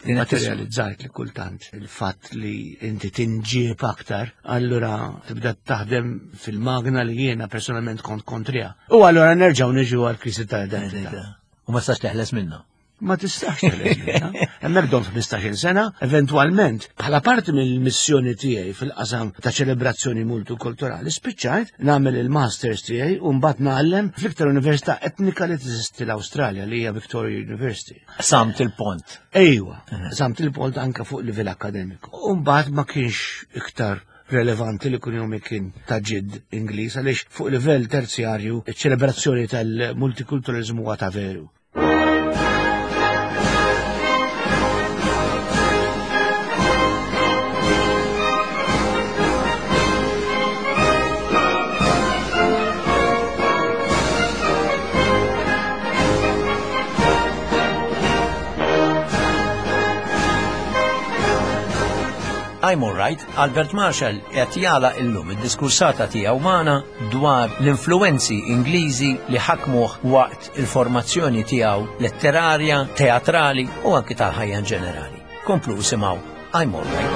Ma tirrealizzajt li kultant il-fatt li inti tinġieb aktar, allura tibda taħdem fil-magna li jiena personalment kont kontrija. U allura nerġgħu niġu għall-kriżi tal-identità. U ma tistax teħles minnha. Ma tistax teħles minnha. Hemmhekk domt ħmistax-il sena, eventwalment, bħala parti mill-missjoni tiegħi fil-qasam ta' ċelebrazzjoni multikulturali, spiċċajt nagħmel il-masters tiegħi u mbagħad ngħallem fl-iktar università etnika li teżisti l-Awstralja li hija Victoria University. Samt il-pont. Ejwa, samt il-pont anke fuq livell akademiku. U mbagħad ma kienx iktar relevanti li kunjomi kien ta' ġid Ingliż għaliex fuq livell terzjarju iċ-ċelebrazzjoni tal-multikulturalizmu huwa ta' veru. I'm all right, Albert Marshall qed jagħlaq illum id-diskursata tiegħu magħna dwar l-influenzi Ingliżi li ħakmuh waqt il-formazzjoni tiegħu letterarja, teatrali u anki tal-ħajja in ġenerali. Komplu simgħu I'm all right.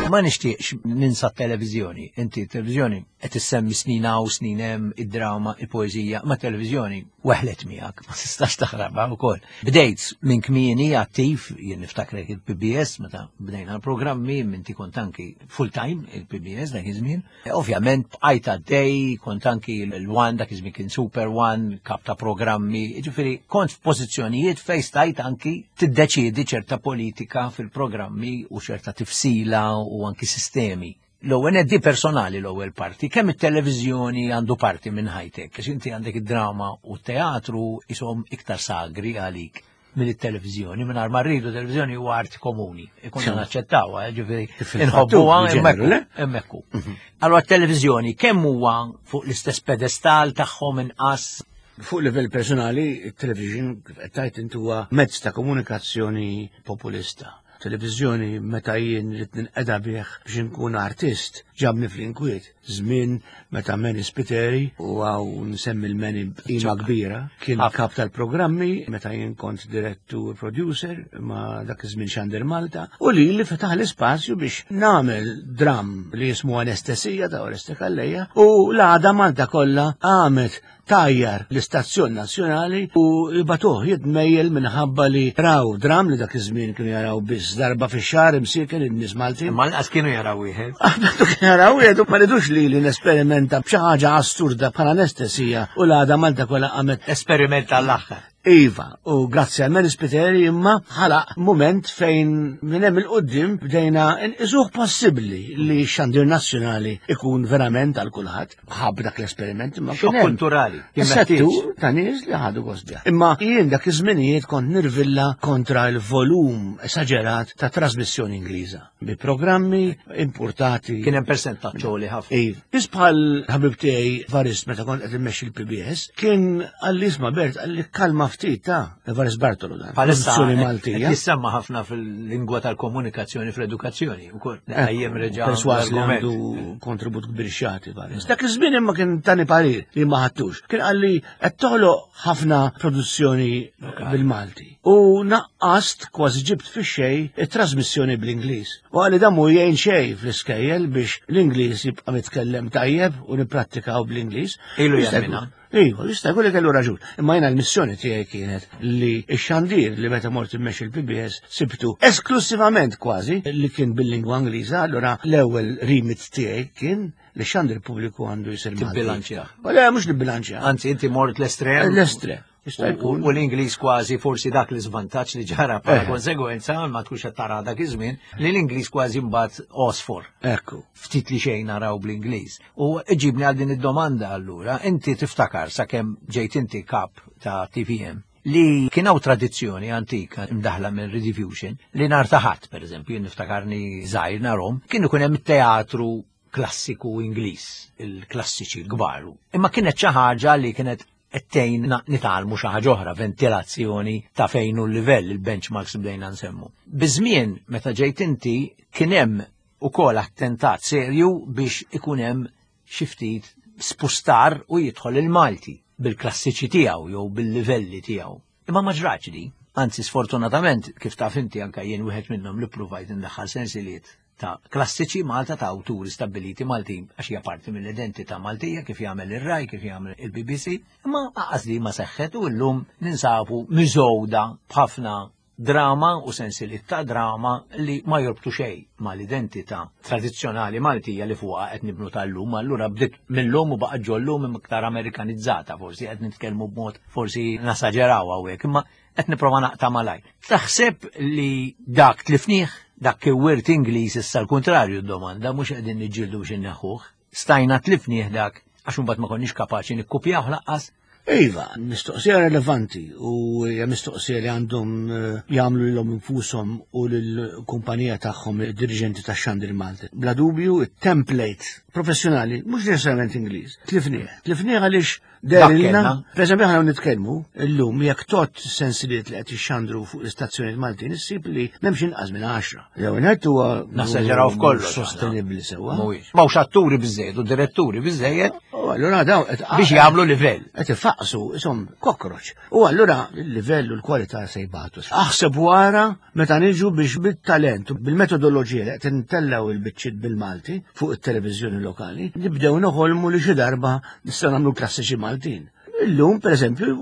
Ma nixtieqx ninsa t-televiżjoni. Inti t-televiżjoni qed issemmi snin hawn, snin hemm, id-drama, il-poeżija, ma' televiżjoni Weħlet miegħek, ma tistax taħrabha wkoll. Bdejt minn kmieni attiv, jien niftakrek il-P B S meta bdejna l-programmi, inti kont anki full time il-P B S dak iż-żmien. Ovvjament bqajt għaddej, kont anki l-One, dak iż-żmien kien Super One, kap ta' programmi, ġifieri kont f'pożizzjonijiet fejn stajt anki tiddeċiedi ċerta politika fil-programmi u ċerta tifsila u anki sistemi. L-ewwel di personali l-ewwel parti, kemm it-televiżjoni għandu parti minn ħajtek, għax inti għandek id-drama u t-teatru isom iktar sagri għalik minn it-televiżjoni, minn ma rridu, televiżjoni huwa arti komuni, ikonna naċċettawha, ġifieri inħobbuha hemmhekk. Mhm. Allora t-televiżjoni kemm huwa fuq l-istess pedestal tagħhom, inqas? Fuq livell personali, il-television, kif qed tgħid inti, huwa mezz ta' komunikazzjoni populista. Televizjoni, meta jien rrid ninqeda bih biex inkun artist, ġabni fl-inkwiet. Żmien meta Manny Spiteri, u hawn nsemmi l-Manny b'qima kbira, kien kap tal-programmi meta jien kont direttur producer ma dak iż-żmien Xandir Malta, u li li fetaħ l-ispazju biex nagħmel dram li jismu Anestesija ta' Oreste Calleja, u l-għada Malta kollha għamet tajjar l-istazzjon nazzjonali u batuh jitmejjel minħabba li raw dram li dak iż-żmien kienu jaraw biss darba fix-xahar imsieken in-nies Maltin. Ma lanqas kienu jaraw wieħed. Kienu jaraw wieħed u ma ridux li li nesperimenta b'xi ħaġa assurda bħala anestesija u l-għada Malta kollha qamet. Esperiment għall-aħħar. Iva, u grazzi għal Manny Spiteri imma ħalaq moment fejn minn hemm il-qoddim bdejna nqisuh possibbli li x-xandir nazzjonali ikun verament għal kulħadd. Ħabb dak l-esperiment imma kien hemm kulturali. Settur ta' nies li ħadu gost bih. Imma jien dak iż-żminijiet kont nirvilla kontra l-volum esaġerat ta' trasmissjoni Ingliża bi programmi importati. Kien hemm persentaġġ li ħafna. Iva. Biss bħal ħabib tiegħi Varist, meta kont qed immexxi l-P B S, kien qalli, "Isma' Bert," qalli, "kalma ftit ta'." Varist Bartolo dan. Palissa Produzzjoni Maltija. Jissemma ħafna fil-lingwa tal-komunikazzjoni fl-edukazzjoni. Ukoll dejjem reġa' Perswas li l-argument. għandu kontribut kbir xati Varist. Dak iż-żmien imma kien tani parir li ma ħadtux. Kien qalli, "Qed toħloq ħafna produzzjoni bil-Malti. U naqqast, kważi ġibt fix-xejn, it-trasmissjoni bl-Ingliż." U qalli dan mhu jgħin xejn fl-iskejjel biex l-Ingliż jibqa' mitkellem tajjeb u nipprattikaw bl-Ingliż. Ilu Jista' jgħidilna. jkun- Iva, jista' jkun li kellu raġun. Imma jiena l-missjoni tiegħi kienet li x-xandir li meta mort immexxi l-P B S sibtu esklusivament kważi li kien bil-lingwa Ingliża, allura l-ewwel remit tiegħi kien li x-xandir pubbliku għandu jsir Malti. Tibbilanċja. U le, mhux nibbilanċja. Anzi, inti mort l-estrem. L-estrem. Jista' U jkun. u l-Ingliż kważi forsi dak l-iżvantaġġ li ġara bħala Eh. konsegwenza, ma tkunx qed tara dak iż-żmien, li l-Ingliż kważi mbagħad osfor. Ekku. Ftit li xejn naraw bl-Ingliż. U ġibni għal din id-domanda allura, inti tiftakar sakemm ġejt inti kap ta' T V M li kien hawn tradizzjoni antika imdaħla minn Rediffusion li nhar ta' Ħadd, per eżempju, jien niftakarni żgħir narhom, kien ikun hemm teatru klassiku Ingliż, il-klassiċi l-kbar. Imma kienet xi ħaġa li kienet ettejn nitgħallmu xi ħaġa oħra, ventilazzjoni ta' fejn hu l-livell, il-benchmarks bdejna nsemmu. Biż-żmien meta ġejt inti kien hemm ukoll attentat serju biex ikun hemm xi ftit spustar u jidħol il-Malti bil-klassiċi tiegħu jew bil-livelli tiegħu. Imma ma ġratx di. Anzi, sfortunatament, kif taf inti, anka jien wieħed minnhom li provajt indaħħal sensiliet ta' klassiċi Malta ta' awturi stabiliti Maltin għax hija parti mill-identità Maltija, kif jagħmel ir-Rai, kif jagħmel il-B B C, imma aqas li ma seħħet u llum ninsabu miżgħuda b'ħafna drama u sensiliet ta' drama li ma jorbtu xejn mal-identità tradizzjonali Maltija li fuqha qed nibnu tal-lum, allura bdiet mill-lum u baqgħet ġollum iktar Amerikanizzata, forsi qed nitkellmu b'mod forsi nasaġeraw hawnhekk, imma qed nipprova naqta' malajr. Taħseb li dak tlifnieh, dak wirt Ingliż issa, l-kontrarju d-domanda, mhux qegħdin niġġieldu biex inneħħuh? Stajna tlifnieh dak għax imbagħad ma konniex kapaċi nikkupjaw lanqas? Iva, mistoqsija relevanti u hija mistoqsija li għandhom eh, jagħmlu lilhom infushom u lill-kumpanija tagħhom id-dirigenti tax-Xandir Malti. Bla dubju, it-template professjonali, mhux neċessarjament Ingliż, tlifnieh. Tlifnieh għaliex dehrilna, kellna. Per eżempju, aħna nitkellmu illum, jekk tot sensiliet li qed jixxandru fuq l-istazzjonijiet Maltin, issib li m'hemmx inqas minn għaxra. Jew ngħid huwa Nasaġeraw f'kollox. Sostenibbli sewwa. Mhuwiex. M'hawnx atturi biżejjed u diretturi biżejjed U allura dawn qed biex jagħmlu livell. Qed ifaqsu isom kokroċ. U allura il-livell u l-kwalità se jbatu. Aħseb wara meta niġu biex bit-talent u bil-metodoloġija li qed intellgħu il-biċċiet bil-Malti fuq it-televiżjoni lokali, nibdew noħolmu li xi darba nistgħu nagħmlu klassiċi Maltin. Illum, per eżempju,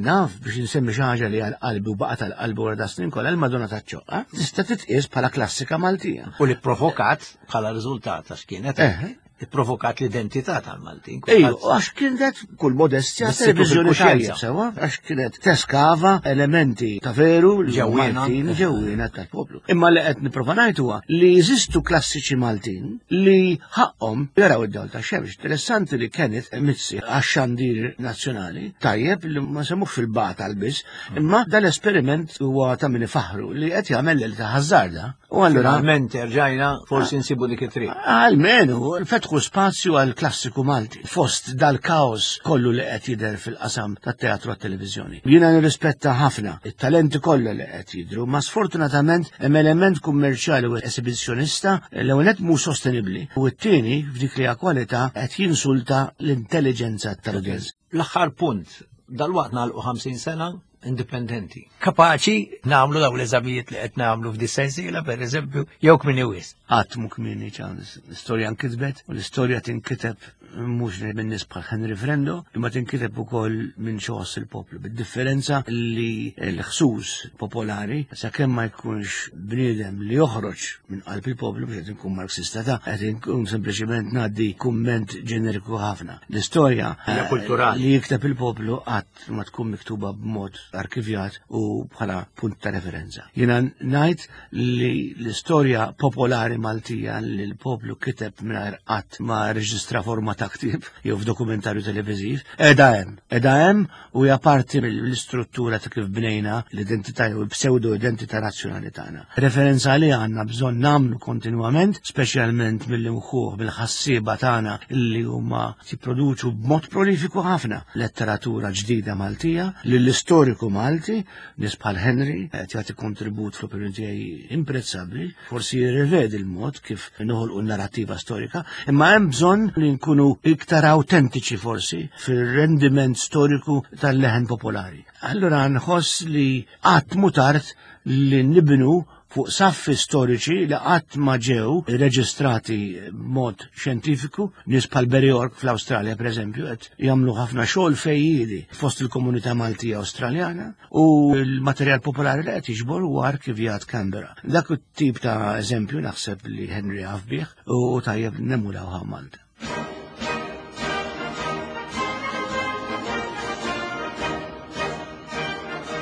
naf biex nsemmi xi ħaġa li għal qalbi u baqgħet għal qalbi wara da snin kollha, il-Madonna taċ-Ċoqqa tista' titqies bħala klassika Maltija. U li provokat bħala riżultat għax kienet Eh. provokat l-identità tal-Maltin. Ejju, għax kienet kull modestja Bissitu televizjoni fil-kuxjenza. tajjeb sewa, għax kienet teskava elementi ta' veru li Ġewwiena. Maltin ġewwiena tal-poplu. Imma li qed nipprova ngħid huwa li jeżistu klassiċi Maltin li ħaqhom jaraw id-dawl ta' xemx. Interessanti li Kenneth Mizzi għax-xandir nazzjonali tajjeb li ma semmux fil-bata biss, imma dal-esperiment huwa ta' min ifaħru li qed jagħmel li ta' ħażarda. U allura Finalment erġajna forsi nsibu dik it-triq. Almenu, fetħu spazju għal klassiku Malti, fost dal-kaos kollu li qed jidher fil-qasam tat-teatru għat-televiżjoni. Jiena nirrispetta ħafna it-talenti kollha li qed jidhru, ma sfortunatament hemm element kummerċjali u esibizzjonista l-ewwel nett mhux sostenibbli u t-tieni f'dik li hija kwalità qed jinsulta l-intelligenza tal-udjenza. L-aħħar punt, dal-waqt nagħlqu ħamsin sena indipendenti. Kapaċi nagħmlu daw l-eżamijiet li qed nagħmlu f'dis-sensiela, per eżempju, jew kmieni wisq. Qatt mhu kmieni, ċans, l-istorja nkitbet u l-istorja tinkiteb mhux minn nies bħal Henry Frendo, imma tinkiteb ukoll minn xogħol il-poplu. Bid-differenza li l-ħsus popolari, sakemm ma jkunx bniedem li joħroġ minn qalb il-poplu, biex qed inkun Marxista ta' qed inkun sempliċiment ngħaddi kumment ġeneriku ħafna. L-istorja Hija kulturali. li jikteb il-poplu qatt ma tkun miktuba b'mod arkivjat u bħala punt ta' referenza. Jiena ngħid li l-istorja popolari Maltija li l-poplu kiteb mingħajr qatt ma reġistra forma ta' ktieb jew f'dokumentarju televiżiv, qiegħda hemm. Qiegħda hemm u hija parti mill-istruttura ta' kif bnejna l-identità jew il-pseudo-identità nazzjonali tagħna. Referenza li għandna bżonn nagħmlu kontinwament, speċjalment mill-imħuħ bil-ħassieba tagħna li huma jipproduċu b'mod prolifiku ħafna letteratura ġdida Maltija, li l-istoriku Malti, nies bħal Henry, qed jagħti kontribut fl-opinjoni tiegħi imprezzabbli, forsi jirrivedi l-mod kif noħolqu n-narrativa storika, imma hemm bżonn li nkunu iktar autentiċi forsi fir-rendiment storiku tal-leħen popolari. Allura nħoss li qatt mhu tard li nibnu fuq saffi storiċi li qatt ma ġew reġistrati b'mod xjentifiku, nies bħal Barry York fl-Awstralja pereżempju qed jagħmlu ħafna xogħol fejjiedi fost il-komunità Maltija Awstraljana u l-materjal popolari li qed jiġbor huwa arkivjat Canberra. Dak it-tip ta' eżempju naħseb li Henry jaf bih u tajjeb nemulawha Malta.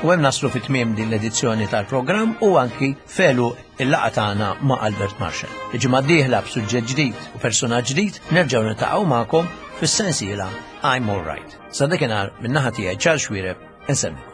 U hemm naslu fit tmiem din l-edizzjoni tal-programm u anki felu il-laqgħa tagħna ma' Albert Marshall. Il-ġimgħa d-dieħla b'suġġett ġdid u personaġġ ġdid nerġgħu niltaqgħu magħkom fis-sensiela I'm All Right. Sa dakinhar min-naħa tiegħi Charles Xuereb insellmilkom.